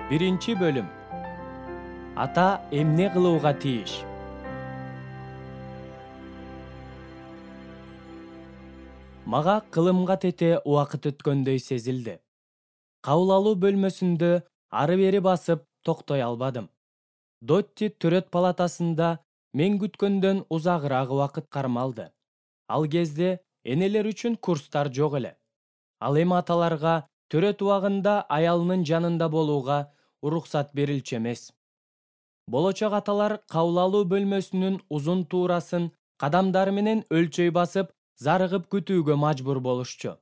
Биринчи бөлүм. Ата эмне кылууга тийиш? Мага кылымга тете убакыт өткөндөй сезилди. Кабыл алуу бөлмөсүндө ары-бери басып токтой албадым. Дотти төрөт палатасында мен күткөндөн узагыраак убакыт кармалды. Ал кезде энелер үчүн курстар жок эле. Ал эми аталарга төрөт убагында аялынын жанында болууга уруксат берилчү эмес. Болочок аталар кабыл алуу бөлмөсүнүн узун туурасын кадамдары менен өлчөй басып, зарыгып күтүүгө мажбур болушчу.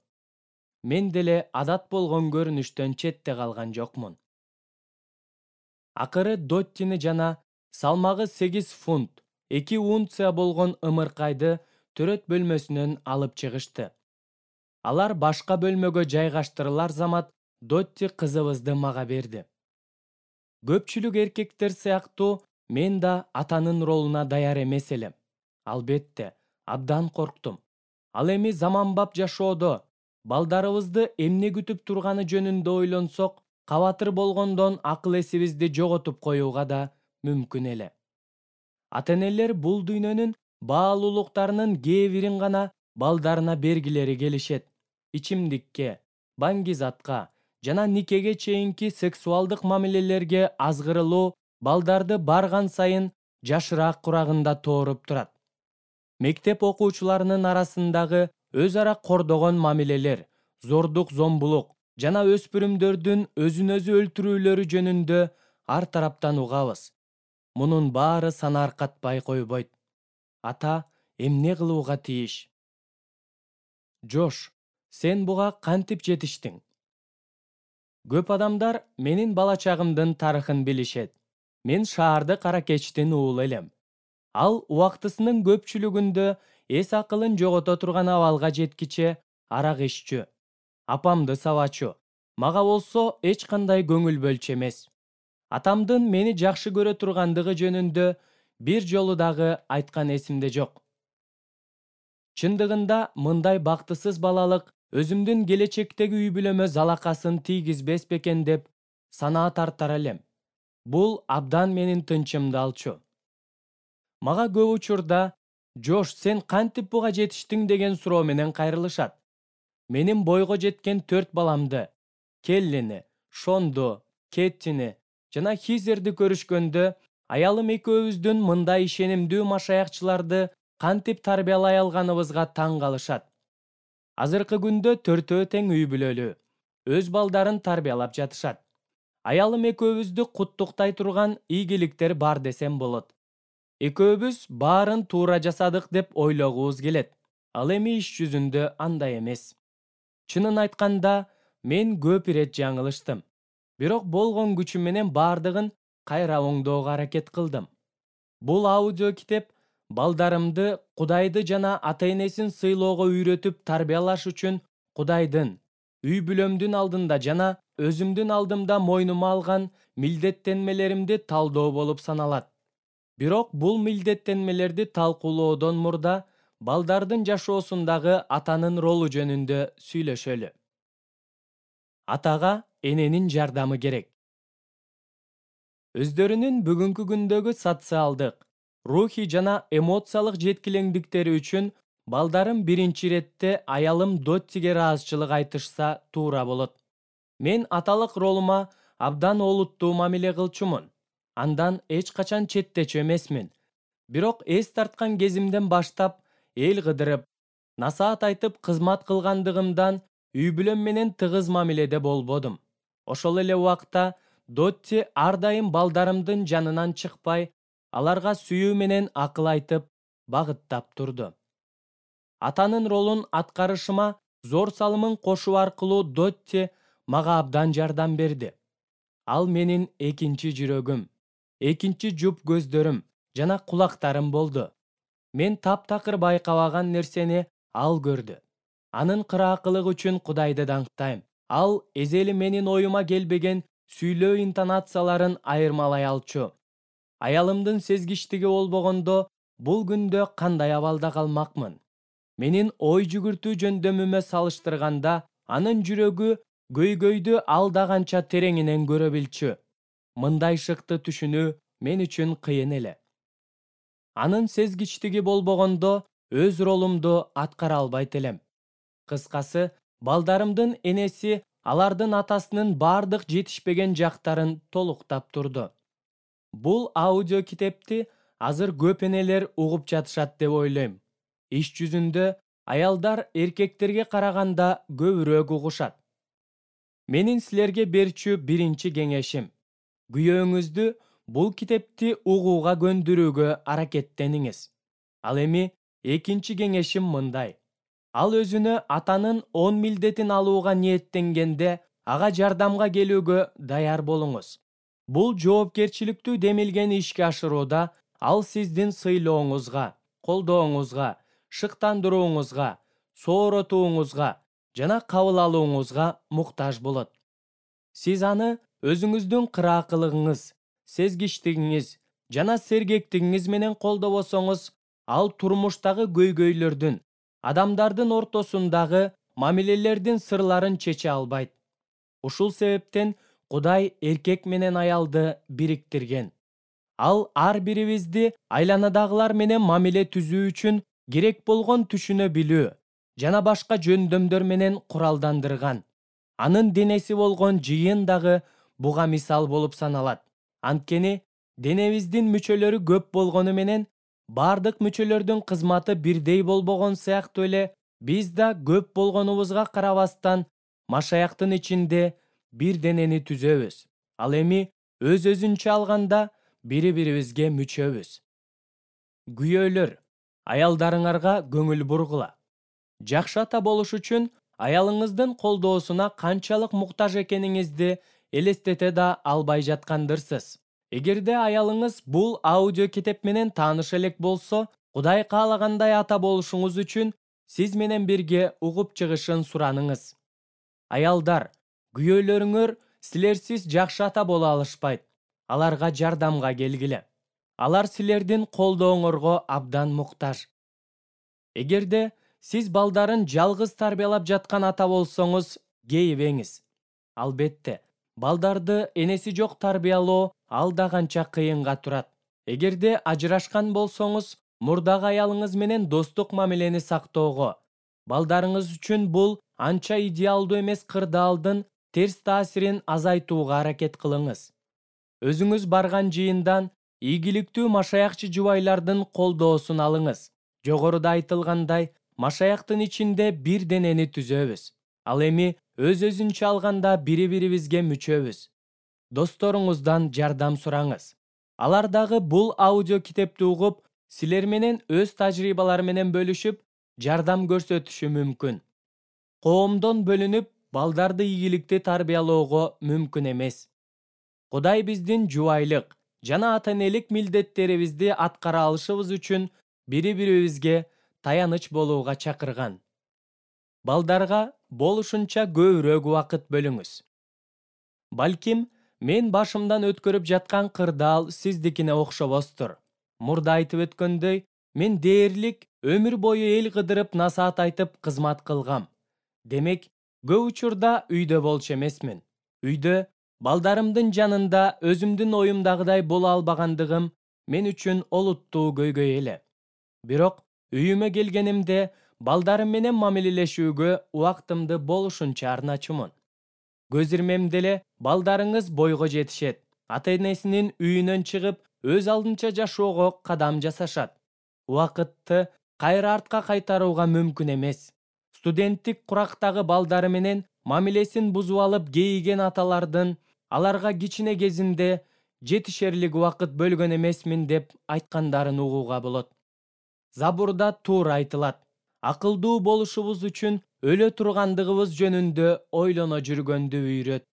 Мен деле адат болгон көрүнүштөн четте калган жокмун. Акыры Доттини жана салмагы 8 фунт 2 унция болгон ымыркайды төрөт бөлмөсүнөн алып чыгышты. Алар башка бөлмөгө жайгаштырылар замат Дотти кызыбызды мага берди. Көпчүлүк эркектер сыяктуу мен да атанын ролуна даяр эмес элем. Албетте, абдан корктум. Ал эми заманбап жашоодо балдарыбызды эмне күтүп турганы жөнүндө ойлонсок, кабатыр болгондон акыл-эсибизди жоготуп коюуга да мүмкүн эле. Ата-энелер бул дүйнөнүн баалуулуктарынын кээ бирин гана балдарына бергилери келишет. Ичимдикке, баңгизатка жана никеге чейинки сексуалдык мамилелерге азгырылуу балдарды барган сайын жашыраак курагында тооруп турат. Мектеп окуучуларынын арасындагы өз ара кордогон мамилелер, зордук-зомбулук жана өспүрүмдөрдүн өзүн өзү өлтүрүүлөрү жөнүндө ар тараптан угабыз. Мунун баары санааркатпай койбойт. Ата эмне кылууга тийиш? Жош, сен буга кантип жетиштиң? Көп адамдар менин бала чагымдын тарыхын билишет. Мен шаардык аракечтин уулу элем. Ал убактысынын көпчүлүгүндө эс акылын жогото турган абалга жеткиче арак иччү, апамды сабачу. Мага болсо эч кандай көңүл бөлчү эмес. Атамдын мени жакшы көрө тургандыгы жөнүндө бир жолу дагы айткан эсимде жок. Чындыгында мындай бактысыз балалык өзүмдүн келечектеги үй бүлөмө залакасын тийгизбес бекен деп санаа тартар элем. Бул абдан менин тынчымды алчу. Мага көп учурда «Жош, сен кантип буга жетиштиң?» деген суроо менен кайрылышат. Менин бойго жеткен 4 баламды, Келлини, Шонду, Кеттини жана Хизерди көрүшкөндө аялым экөөбүздүн мындай ишенимдүү машаякчыларды кантип тарбиялай алганыбызга таң калышат. Азыркы күндө 4-өө тең үй бүлөлүү, өз балдарын тарбиялап жатышат. Аялым экөөбүздү куттуктай турган ийгиликтер бар десем болот. Экөөбүз баарын туура жасадык деп ойлогубуз келет. Ал эми иш жүзүндө андай эмес. Чынын айтканда, мен көп ирет жаңылыштым. Бирок болгон күчүм менен баардыгын кайра оңдоого аракет кылдым. Бул аудио китеп балдарымды Кудайды жана ата-энесин сыйлоого үйрөтүп тарбиялаш үчүн Кудайдын, үй бүлөмдүн алдында жана өзүмдүн алдымда мойнума алган милдеттенмелеримди талдоо болуп саналат. Бирок бул милдеттенмелерди талкуулоодон мурда балдардын жашоосундагы атанын ролу жөнүндө сүйлөшөлү. Атага эненин жардамы керек. Өздөрүнүн бүгүнкү күндөгү социалдык, рухий жана эмоциялык жеткилеңдиктери үчүн балдарым биринчи иретте аялым Доттиге ыраазычылык айтышса туура болот. Мен аталык ролума абдан олуттуу мамиле кылчумун. Андан эч качан четтечү эмесмин. Бирок эс тарткан кезимден баштап эл кыдырып, насаат айтып кызмат кылгандыгымдан үй бүлөм менен тыгыз мамиледе болбодум. Ошол эле убакта Дотти ар дайым балдарымдын жанынан чыкпай, аларга сүйүү менен акыл айтып, багыттап турду. Атанын ролун аткарышыма зор салымын кошуу аркылуу Дотти мага абдан жардам берди. Ал менин экинчи жүрөгүм, экинчи жуп көздөрүм жана кулактарым болду. Мен таптакыр байкабаган нерсени ал көрдү. Анын кыраакылыгы үчүн Кудайды даңктайм. Ал эзели менин оюма келбеген сүйлөө интонацияларын айырмалай алчу. Аялымдын сезгичтиги болбогондо бул күндө кандай абалда калмакмын? Менин ой жүгүртүү жөндөмүмө салыштырганда, анын жүрөгү көйгөйдү ал да канча тереңинен көрө билчү. мындай шыкты түшүнүү мен үчүн кыйын эле. Анын сезгичтиги болбогондо өз ролумду аткара албайт элем. Кыскасы, балдарымдын энеси алардын атасынын бардык жетишпеген жактарын толуктап турду. Бул аудио китепти азыр көп энелер угуп жатышат деп ойлойм. Иш жүзүндө аялдар эркектерге караганда көбүрөөк угушат. Менин силерге берчү биринчи кеңешим: күйөөңүздү бул китепти угууга көндүрүүгө аракеттениңиз. Ал эми экинчи кеңешим мындай: ал өзүнө атанын 10 милдетин алууга ниеттенгенде ага жардамга келүүгө даяр болуңуз. Бул жоопкерчиликтүү демилген ишке ашырууда ал сиздин сыйлооңузга, колдооңузга, шыктандырууңузга, сооротууңузга жана кабыл алууңузга муктаж болот. Сиз аны өзүңүздүн кыраакылыгыңыз, сезгичтигиңиз жана сергектигиңиз менен колдобосоңуз, ал турмуштагы көйгөйлөрдүн, адамдардын ортосундагы мамилелердин сырларын чече албайт. Ушул себептен Кудай эркек менен аялды бириктирген. Ал ар бирибизди айланадагылар менен мамиле түзүү үчүн керек болгон түшүнө билүү жана башка жөндөмдөр менен куралдандырган. Анын денеси болгон жыйын дагы буга мисал болуп саналат. Анткени денебиздин мүчөлөрү көп болгону менен бардык мүчөлөрдүн кызматы бирдей болбогон сыяктуу эле биз да көп болгонубузга карабастан машаяктын ичинде бир денени түзөбүз. Ал эми өз-өзүнчө алганда бири-бирибизге мүчөбүз. Күйөөлөр, аялдарыңарга көңүл бургула. Жакшы ата болуш үчүн аялыңыздын колдоосуна канчалык муктаж экениңизди элестете да албай жаткандырсыз. Эгерде аялыңыз бул аудио китеп менен тааныш элек болсо, Кудай каалагандай ата болушуңуз үчүн сиз менен бирге угуп чыгышын сураныңыз. Аялдар, күйөөлөрүңөр силерсиз жакшы ата боло алышпайт. Аларга жардамга келгиле. Алар силердин колдооңорго абдан муктаж. Эгерде сиз балдарын жалгыз тарбиялап жаткан ата болсоңуз, кейибеңиз. Албетте, балдарды энеси жок тарбиялоо ал да канча кыйынга турат. Эгерде ажырашкан болсоңуз, мурдагы аялыңыз менен достук мамилени сактоого, балдарыңыз үчүн бул анча идеалдуу эмес кырдаалдын терс таасирин азайтууга аракет кылыңыз. Өзүңүз барган жыйындан ийгиликтүү машаякчы жубайлардын колдоосун алыңыз. Жогоруда айтылгандай, машаяктын ичинде бир денени түзөбүз. Ал эми өз-өзүнчө алганда бири-бирибизге мүчөбүз. Досторуңуздан жардам сураңыз. Алар дагы бул аудио китепти угуп, силер менен өз тажрыйбалары менен бөлүшүп, жардам көрсөтүшү мүмкүн. Коомдон бөлүнүп, балдарды ийгиликти тарбиялоого мүмкүн эмес. Кудай биздин жубайлык жана ата-энелик милдеттерибизди аткара алышыбыз үчүн бири-бирибизге таяныч болууга чакырган. Балдарга болушунча көбүрөөк убакыт бөлүңүз. Балким, мен башымдан өткөрүп жаткан кырдаал сиздикине окшобостур. Мурда айтып өткөндөй, мен дээрлик өмүр бою эл кыдырып насаат айтып кызмат кылгам. Демек, көп учурда үйдө болчу эмесмин. Үйдө балдарымдын жанында өзүмдүн оюмдагыдай боло албагандыгым мен үчүн олуттуу көйгөй эле. Бирок үйүмө келгенимде балдарым менен мамилелешүүгө убактымды болушунча арначумун. Көз ирмемде эле балдарыңыз бойго жетишет, ата-энесинин үйүнөн чыгып, өз алдынча жашоого кадам жасашат. Убакытты кайра артка кайтарууга мүмкүн эмес. Студенттик курактагы балдары менен мамилесин бузуп алып кейиген аталардын аларга кичине кезинде жетишерлик убакыт бөлгөн эмесмин деп айткандарын угууга болот. Забурда туура айтылат: акылдуу болушубуз үчүн өлө тургандыгыбыз жөнүндө ойлоно жүргөндү үйрөт.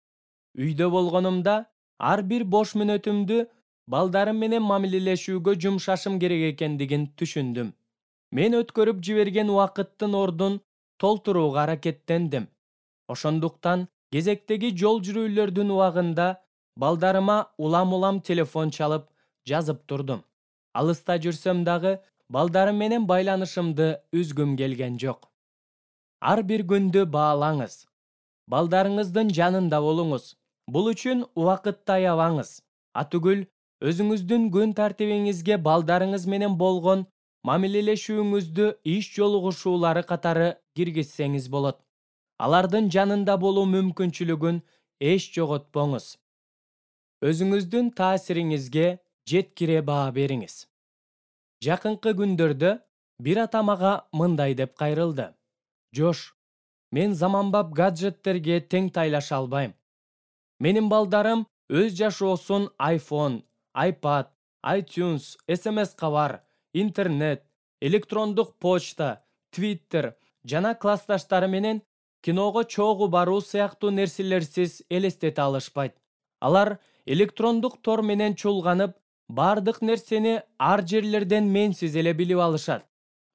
Үйдө болгонумда ар бир бош мүнөтүмдү балдарым менен мамилелешүүгө жумшашым керек экендигин түшүндүм. Мен өткөрүп жиберген убакыттын ордун толтурууга аракеттендим. Ошондуктан кезектеги жол жүрүүлөрдүн убагында балдарыма улам-улам телефон чалып, жазып турдум. Алыста жүрсөм дагы балдарым менен байланышымды үзгүм келген жок. Ар бир күндү баалаңыз. Балдарыңыздын жанында болуңуз. Бул үчүн убакытты аябаңыз. Атүгүл өзүңүздүн күн тартибиңизге балдарыңыз менен болгон мамилелешүүңүздү иш жолугушуулары катары киргизсеңиз болот. Алардын жанында болуу мүмкүнчүлүгүн эч жоготпоңуз. Өзүңүздүн таасириңизге жеткире баа бериңиз. Жакынкы күндөрдө бир ата мага мындай деп кайрылды: Жош, мен заманбап гаджеттерге тең тайлаша албайм. Менин балдарым өз жашоосун iPhone, iPad, iTunes, SMS кабар, интернет, электрондук почта, Twitter жана классташтары менен киного чогуу баруу сыяктуу нерселерсиз элестете алышпайт. Алар электрондук тор менен чулганып, бардык нерсени ар жерлерден менсиз эле билип алышат.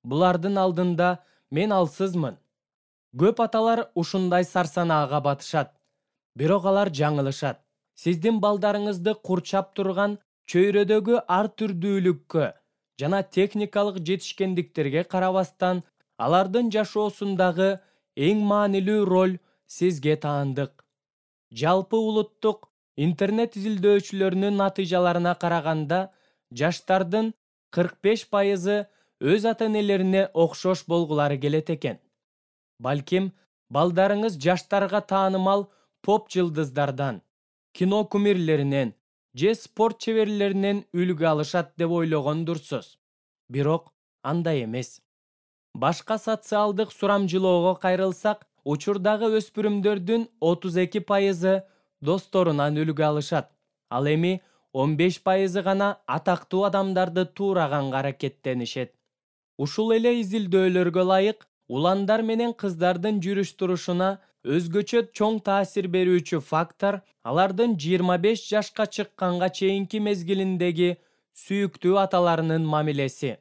Булардын алдында мен алсызмын. Көп аталар ушундай сарсанаага батышат. Бирок алар жаңылышат. Сиздин балдарыңызды курчап турган чөйрөдөгү ар түрдүүлүккө жана техникалык жетишкендиктерге карабастан, алардын жашоосундагы эң маанилүү роль сизге таандык. Жалпы улуттук интернет изилдөөчүлөрүнүн натыйжаларына караганда, жаштардын 45% өз ата-энелерине окшош болгулары келет экен. Балким, балдарыңыз жаштарга таанымал поп жылдыздардан, кино кумирлеринен же спорт чеберлеринен үлгү алышат деп ойлогондурсуз. Бирок андай эмес. Башка социалдык сурамжылоого кайрылсак, учурдагы өспүрүмдөрдүн 32% досторунан үлгү алышат. Ал эми 15% гана атактуу адамдарды туураганга аракеттенишет. Ушул эле изилдөөлөргө ылайык, уландар менен кыздардын жүрүш-турушуна өзгөчө чоң таасир берүүчү фактор алардын 25 жашка чыкканга чейинки мезгилиндеги сүйүктүү аталарынын мамилеси.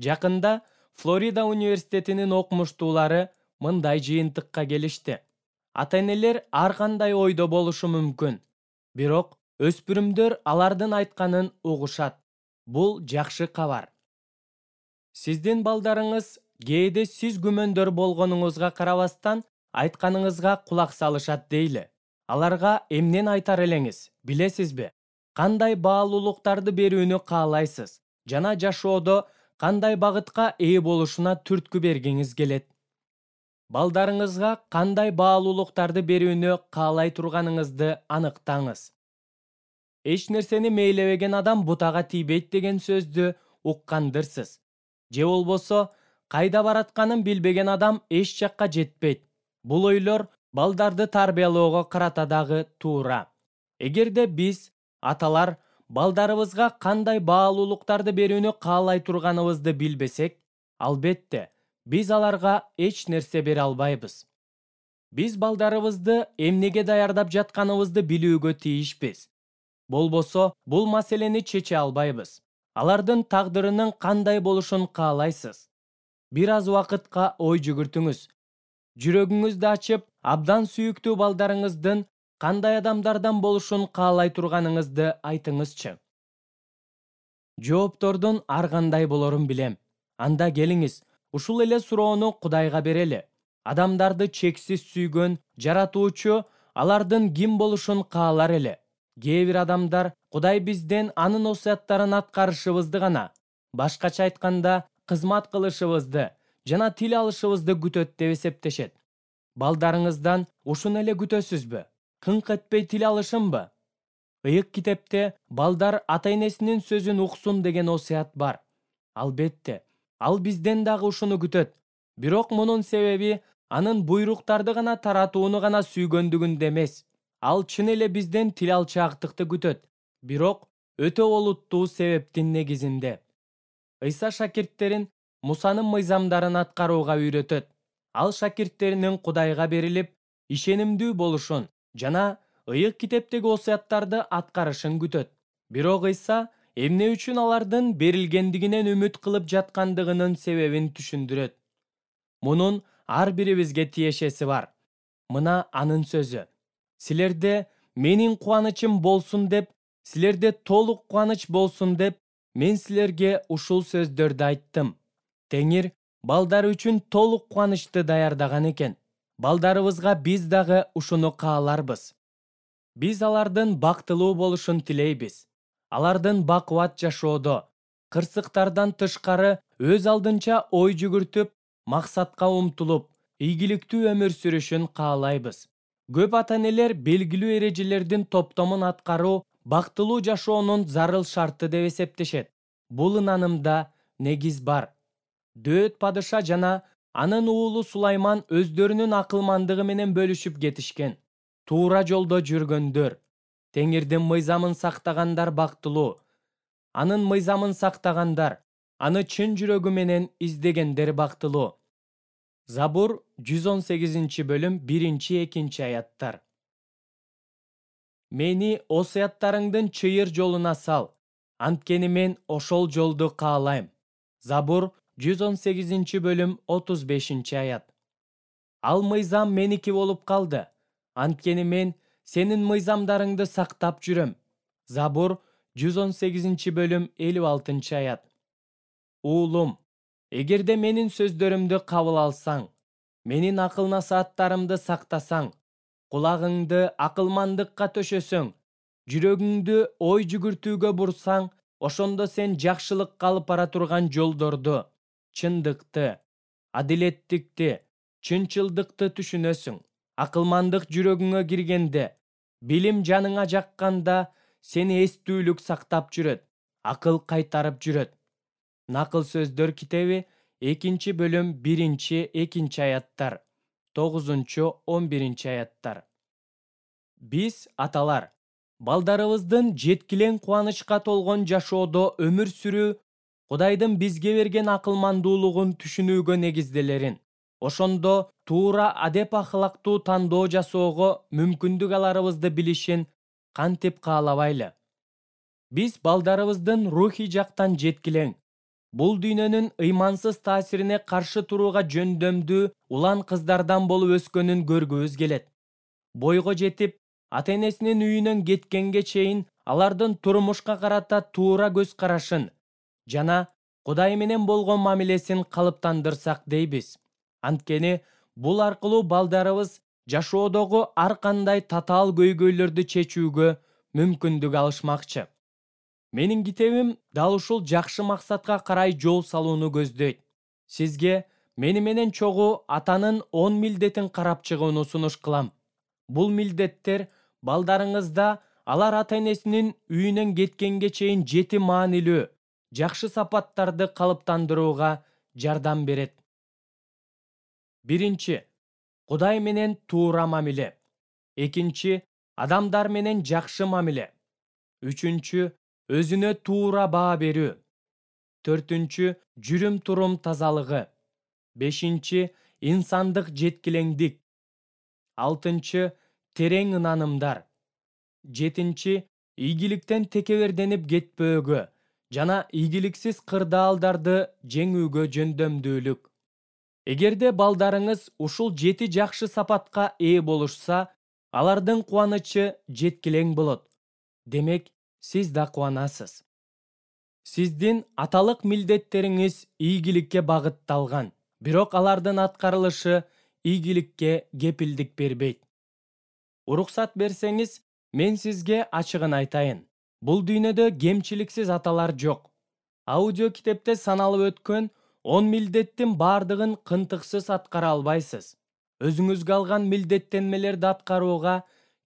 Жакында Флорида университетинин окумуштуулары мындай жыйынтыкка келишти. Ата-энелер ар кандай ойдо болушу мүмкүн, бирок өспүрүмдөр алардын айтканын угушат. Бул жакшы кабар. Сиздин балдарыңыз кээде сиз күмөндөр болгонуңузга карабастан айтканыңызга кулак салышат дейли. Аларга эмнени айтар элеңиз, билесизби? Кандай баалуулуктарды берүүнү каалайсыз жана жашоодо кандай багытка ээ болушуна түрткү бергиңиз келет. Балдарыңызга кандай баалуулуктарды берүүнү каалай турганыңызды аныктаңыз. Эч нерсени мээлебеген адам бутага тийбейт деген сөздү уккандырсыз. Же болбосо, кайда баратканын билбеген адам эч жакка жетпейт. Бул ойлор балдарды тарбиялоого карата дагы туура. Эгерде биз, аталар, балдарыбызга кандай баалуулуктарды берүүнү каалай турганыбызды билбесек, албетте, биз аларга эч нерсе бере албайбыз. Биз балдарыбызды эмнеге даярдап жатканыбызды билүүгө тийишпиз. Болбосо, бул маселени чече албайбыз. Алардын тагдырынын кандай болушун каалайсыз? Бир аз убакытка ой жүгүртүңүз. Жүрөгүңүздү ачып, абдан сүйүктүү балдарыңыздын кандай адамдардан болушун каалай турганыңызды айтыңызчы. Жооптордун ар кандай болорун билем. Анда келиңиз, ушул эле суроону Кудайга берели. Адамдарды чексиз сүйгөн жаратуучу алардын ким болушун каалар эле. Кээ бир адамдар Кудай бизден анын осуяттарын аткарышыбызды гана, башкача айтканда, кызмат кылышыбызды жана тил алышыбызды күтөт деп эсептешет. Балдарыңыздан ушуну эле күтөсүзбү? Кыңк этпей тил алышынбы? Ыйык китепте балдар ата-энесинин сөзүн уксун деген осуят бар. Албетте, ал бизден дагы ушуну күтөт. Бирок мунун себеби анын буйруктарды гана таратууну гана сүйгөндүгүндө эмес. Ал чын эле бизден тил алчаактыкты күтөт, бирок өтө олуттуу себептин негизинде. Ыйса шакирттерин Мусанын мыйзамдарын аткарууга үйрөтөт. Ал шакирттеринин Кудайга берилип, ишенимдүү болушун жана ыйык китептеги осуяттарды аткарышын күтөт. Бирок Ыйса эмне үчүн алардын берилгендигинен үмүт кылып жаткандыгынын себебин түшүндүрөт. Мунун ар бирибизге тиешеси бар. Мына анын сөзү. Силерде менин кубанычым болсун деп, силерде толук кубаныч болсун деп, мен силерге ушул сөздөрдү айттым. Теңир балдар үчүн толук кубанычты даярдаган экен. Балдарыбызга биз дагы ушуну кааларбыз. Биз алардын бактылуу болушун тилейбиз. Алардын бакубат жашоодо, кырсыктардан тышкары өз алдынча ой жүгүртүп, максатка умтулуп, ийгиликтүү өмүр сүрүшүн каалайбыз. Көп ата-энелер белгилүү эрежелердин топтомун аткаруу бактылуу жашоонун зарыл шарты деп эсептешет. Бул ынанымда негиз бар. Дөөт падыша жана анын уулу Сулайман өздөрүнүн акылмандыгы менен бөлүшүп кетишкен. Туура жолдо жүргөндөр, Теңирдин мыйзамын сактагандар бактылуу. Анын мыйзамын сактагандар, аны чын жүрөгү менен издегендер бактылуу. Забур 118-бөлүм 1-2 аяттар. Мени осуяттарыңдын чыйыр жолуна сал, анткени мен ошол жолду каалайм. Забур 118-бөлүм 35 аят. Ал мыйзам меники болуп калды, анткени мен сенин мыйзамдарыңды сактап жүрөм. Забур 118-бөлүм 56 аят. Уулум, эгерде менин сөздөрүмдү кабыл алсаң, менин акыл насааттарымды сактасаң, кулагыңды акылмандыкка төшөсөң, жүрөгүңдү ой жүгүртүүгө бурсаң, ошондо сен жакшылыкка алып бара турган жолдорду, чындыкты, адилеттикти, чынчылдыкты түшүнөсүң. Акылмандык жүрөгүңө киргенде, билим жаныңа жакканда, сени эстүүлүк сактап жүрөт, акыл кайтарып жүрөт. Накыл сөздөр китеби 2-бөлүм 1-2 аяттар, 9-11 аяттар. Биз, аталар, балдарыбыздын жеткилең кубанычка толгон жашоодо өмүр сүрүү Кудайдын бизге берген акылмандуулугун түшүнүүгө негизделерин, ошондо туура адеп ахлактуу тандоо жасоого мүмкүндүк аларыбызды билишин кантип каалабайлы. Биз балдарыбыздын рухий жактан жеткилең, бул дүйнөнүн ыймансыз таасирине каршы турууга жөндөмдүү улан кыздардан болуп өскөнүн көргүбүз келет. Бойго жетип, ата-энесинин үйүнөн кеткенге чейин алардын турмушка карата туура көз карашын жана Кудай менен болгон мамилесин калыптандырсак дейбиз. Анткени бул аркылуу балдарыбыз жашоодогу ар кандай татаал көйгөйлөрдү чечүүгө мүмкүндүк алышмакчы. Менин китебим дал ушул жакшы максатка карай жол салууну көздөйт. Сизге мени менен чогуу атанын 10 милдетин карап чыгууну сунуш кылам. Бул милдеттер балдарыңызда алар ата-энесинин үйүнөн кеткенге чейин 7 маанилүү, жакшы сапаттарды калыптандырууга жардам берет. 1. Кудай менен туура мамиле. 2. Адамдар менен жакшы мамиле. 3. Өзүнө туура баа берүү. 4. Жүрүм-турум тазалыгы. 5. Инсандык жеткилеңдик. 6. Терең ынанымдар. 7. Ийгиликтен текеберденип кетпөөгө жана ийгиликсиз кырдаалдарды жеңүүгө жөндөмдүүлүк. Эгерде балдарыңыз ушул 7 жакшы сапатка ээ болушса, алардын кубанычы жеткилең болот. Демек, сиз да кубанасыз. Сиздин аталык милдеттериңиз ийгиликке багытталган, бирок алардын аткарылышы ийгиликке кепилдик бербейт. Уруксат берсеңиз, мен сизге ачыгын айтайын. Бул дүйнөдө кемчиликсиз аталар жок. Аудио китепте саналып өткөн 10 милдеттин бардыгын кынтыксыз аткара албайсыз. Өзүңүзгө алган милдеттенмелерди аткарууга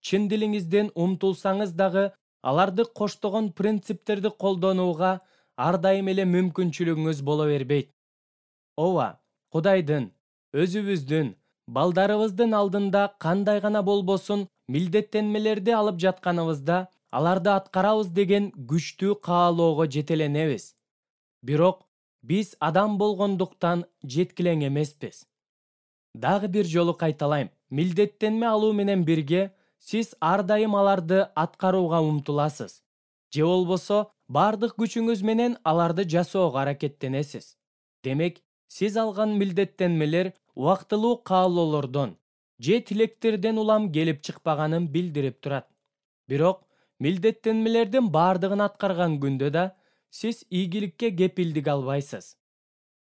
чын дилиңизден умтулсаңыз дагы, аларды коштогон принциптерди колдонууга ар дайым эле мүмкүнчүлүгүңүз боло бербейт. Ооба, Кудайдын, өзүбүздүн, балдарыбыздын алдында кандай гана болбосун милдеттенмелерди алып жатканыбызда, аларды аткарабыз деген күчтүү каалоого жетеленебиз. Бирок биз адам болгондуктан жеткилең эмеспиз. Дагы бир жолу кайталайм. Милдеттенме алуу менен бирге сиз ар дайым аларды аткарууга умтуласыз. Же болбосо бардык күчүңүз менен аларды жасоого аракеттенесиз. Демек, сиз алган милдеттенмелер убактылуу каалоолордон же тилектерден улам келип чыкпаганын билдирип турат. Бирок, милдеттенмелердин бардыгын аткарган күндө да сиз ийгиликке кепилдик албайсыз.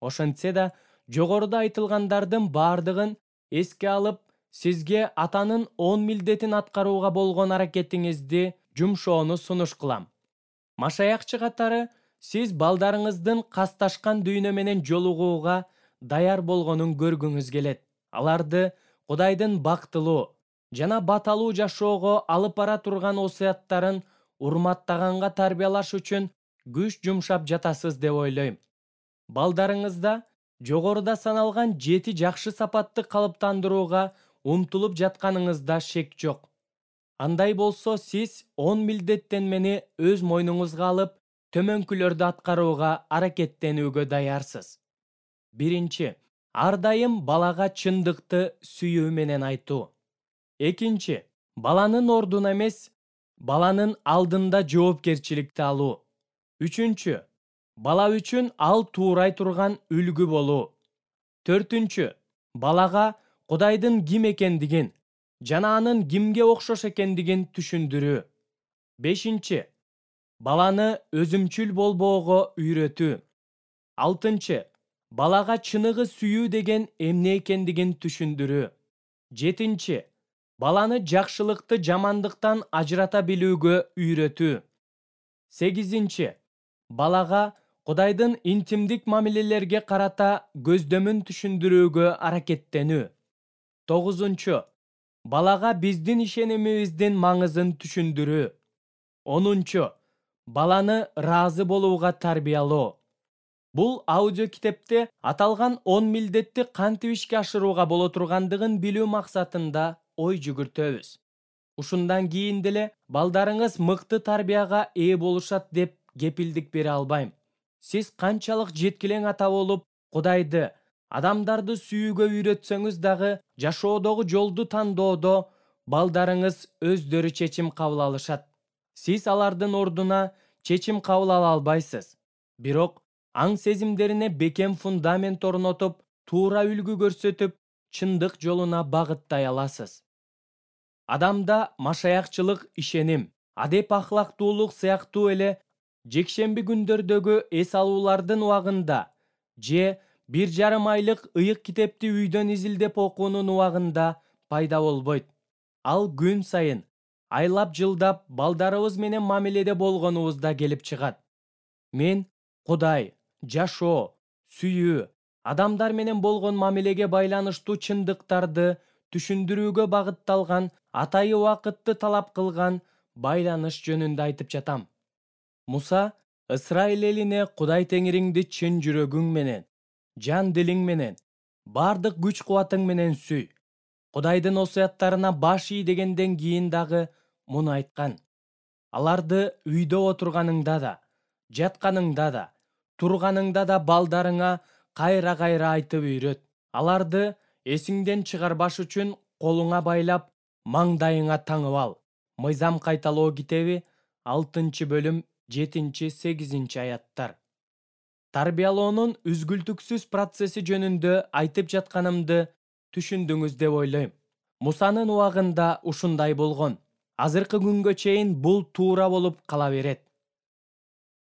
Ошентсе да, жогоруда айтылгандардын бардыгын эске алып, сизге атанын 10 милдетин аткарууга болгон аракетиңизди жумшоону сунуш кылам. Машаякчы катары сиз балдарыңыздын касташкан дүйнө менен жолугууга даяр болгонун көргүңүз келет. Аларды Кудайдын бактылуу жана баталуу жашоого алып бара турган осуяттарын урматтаганга тарбиялаш үчүн күч жумшап жатасыз деп ойлойм. Балдарыңызда жогоруда саналган 7 жакшы сапатты калыптандырууга умтулуп жатканыңызда шек жок. Андай болсо сиз 10 милдеттен мени өз мойнуңузга алып, төмөнкүлөрдү аткарууга аракеттенүүгө даярсыз. Биринчи, ар дайым балага чындыкты сүйүү менен айтуу. Экинчи, баланын ордуна эмес, баланын алдында жоопкерчиликти алуу. Үчүнчү, бала үчүн ал туурай турган үлгү болуу. Төртүнчү, балага Кудайдын ким экендигин жана анын кимге окшош экендигин түшүндүрүү. Бешинчи, баланы өзүмчүл болбоого үйрөтүү. Алтынчы, балага чыныгы сүйүү деген эмне экендигин түшүндүрүү. Жетинчи, баланы жакшылыкты жамандыктан ажырата билүүгө үйрөтүү. Сегизинчи, балага Кудайдын интимдик мамилелерге карата көздөмүн түшүндүрүүгө аракеттенүү. Тогузунчу, балага биздин ишенимибиздин маңызын түшүндүрүү. Онунчу, баланы ыраазы болууга тарбиялоо. Бул аудио китепте аталган 10 милдетти кантип ишке ашырууга боло тургандыгын билүү максатында ой жүгүртөбүз. Ушундан кийин деле балдарыңыз мыкты тарбияга ээ болушат деп кепилдик бере албайм. Сиз канчалык жеткилең ата болуп, Кудайды, адамдарды сүйүүгө үйрөтсөңүз дагы, жашоодогу жолду тандоодо балдарыңыз өздөрү чечим кабыл алышат. Сиз алардын ордуна чечим кабыл ала албайсыз. Бирок аң сезимдерине бекем фундамент орнотуп, туура үлгү көрсөтүп, чындык жолуна багыттай аласыз. Адамда машаякчылык ишеним, адеп ахлактуулук сыяктуу эле жекшемби күндөрдөгү эс алуулардын убагында же 1,5 айлык ыйык китепти үйдөн изилдеп окуунун убагында пайда болбойт. Ал күн сайын, айлап жылдап балдарыбыз менен мамиледе болгонубузда келип чыгат. Мен Кудай, жашоо, сүйүү, адамдар менен болгон мамилеге байланыштуу чындыктарды түшүндүрүүгө багытталган, атайы убакытты талап кылган байланыш жөнүндө айтып жатам. Муса Ысрайыл элине Кудай Теңириңди чын жүрөгүң менен, жан дилиң менен, бардык күч кубатың менен сүй. Кудайдын осуяттарына баш ий дегенден кийин дагы муну айткан. Аларды үйдө отурганыңда да, жатканыңда да, турганыңда да балдарыңа кайра-кайра айтып үйрөт. Аларды эсиңден чыгарбаш үчүн колуңа байлап, маңдайыңа таңып ал. Мыйзам кайталоо китеби 6-бөлүм 7-8 аяттар. Тарбиялоонун үзгүлтүксүз процесси жөнүндө айтып жатканымды түшүндүңүз деп ойлойм. Мусанын убагында ушундай болгон. Азыркы күнгө чейин бул туура болуп кала берет.